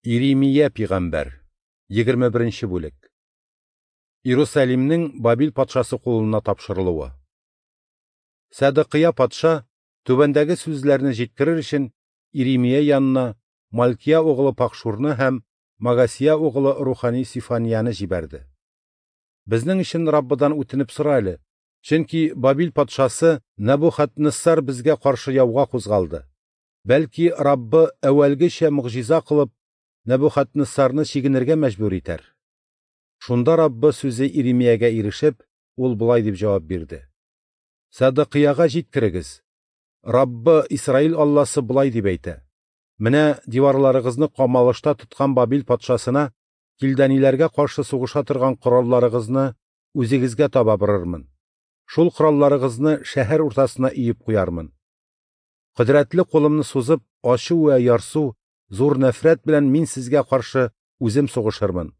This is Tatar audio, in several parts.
Иремия пигамбәр, 21 нче бүлек. Иерусалимнең Бабил патшасы кулына тапшырылуы. Сәдыкыя патша, түбәндәге сүзләрне җиткерер өчен, Иремия янына Малкия угылы Пахшурны һәм Магасия угылы рухани Сифанияне җибәрде. Безнең өчен Раббыдан үтенеп сора әле, чөнки Бабил патшасы Нәбухаднессар безгә каршы яуга кузгалды. Бәлки, Раббы әүвәлгечә могҗиза кылып, Нәбухаднессарны чигенергә мәҗбүр итәр. Шунда Раббы сүзе Иремиягә ирешеп, ул болай дип җавап бирде: Сәдыкыяга җиткерегез. Раббы Исраил Алласы болай дип әйтә: Менә диварларыгызны камалышта тоткан Бабил патшасына килдәниләргә каршы сугыша торган коралларыгызны үзегезгә таба борырмын. Шул коралларыгызны шәһәр уртасына өеп куярмын. Кодрәтле кулымны сузып, ачу вә ярсу, зур нәфрәт белән мин сезгә каршы үзем сугышырмын.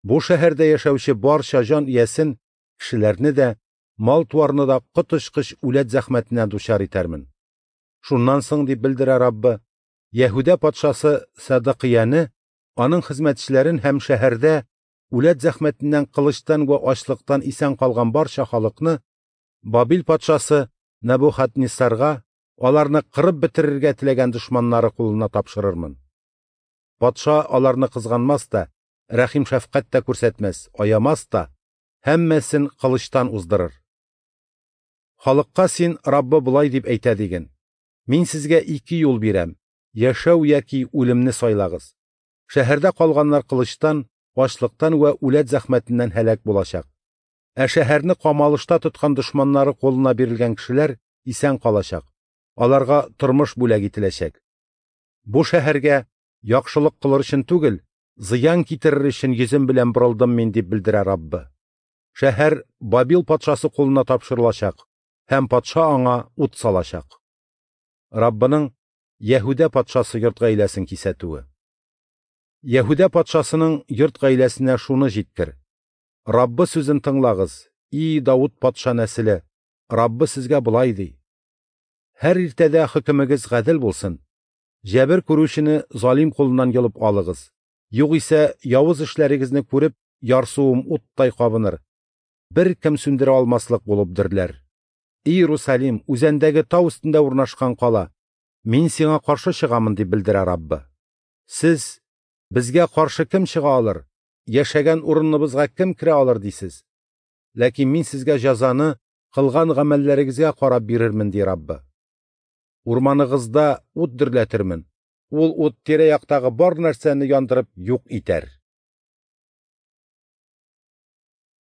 Бу шәһәрдә яшәүче барча җан иясен, кешеләрне дә, мал-туарны да коточкыч үләт зәхмәтенә дучар итәрмен. Шуннан соң, дип белдерә Раббы, Яһүдә патшасы Сәдыкыяны, аның хезмәтчеләрен һәм шәһәрдә үләт зәхмәтеннән кылычтан вә ачлыктан исән калган барча халыкны Бабил патшасы Нәбухаднессарга аларны кырып бетерергә теләгән дошманнары кулына тапшырырмын. Патша аларны кызганмас та, рәхим-шәфкать тә күрсәтмәс, аямас та, һәммәсен кылычтан уздырыр. Халыкка син Раббы болай дип әйтә диген: Мин сезгә ике юл бирәм: яшәү яки үлемне сайлагыз. Шәһәрдә калганнар кылычтан, ачлыктан вә үләт зәхмәтеннән һәлак булачак. Ә шәһәрне камалышта тоткан дошманнары кулына бирелгән кешеләр исән калачак. Аларга тормыш бүләк ителәчәк. Бу шәһәргә яхшылык кылыр өчен түгел, зыян китерер өчен йөзем белән борылдым мин, дип белдерә Раббы. Шәһәр Бабил патшасы кулына тапшырылачак һәм патша аңа ут салачак. Раббының Яһүдә патшасы йорт гаиләсен кисәтүе. Яһүдә патшасының йорт гаиләсенә шуны җиткер: Раббы сүзен тыңлагыз, и Давыт патша нәселе, Раббы сезгә болай ди: Һәр иртәдә хөкемегез гадел булсын. Җәбер күрүчене залим кулыннан йолып алыгыз. Югыйсә явыз эшләрегезне күреп, ярсуым уттай кабыныр. Бер кем сүндерә алмаслык булып дөрләр. Иерусалим, үзәндәге тау өстендә урнашкан кала, мин сиңа каршы чыгамын, дип белдерә Раббы. Сез, безгә каршы кем чыга алыр, яшәгән урыныбызга кем керә алыр дисез. Ләкин мин сезгә җәзаны кылган гамәлләрегезгә карап бирермен, ди Раббы. Урманыгызда ут дөрләтермен. Ул ут тирә-яктагы бар нәрсәне яндырып юк итәр.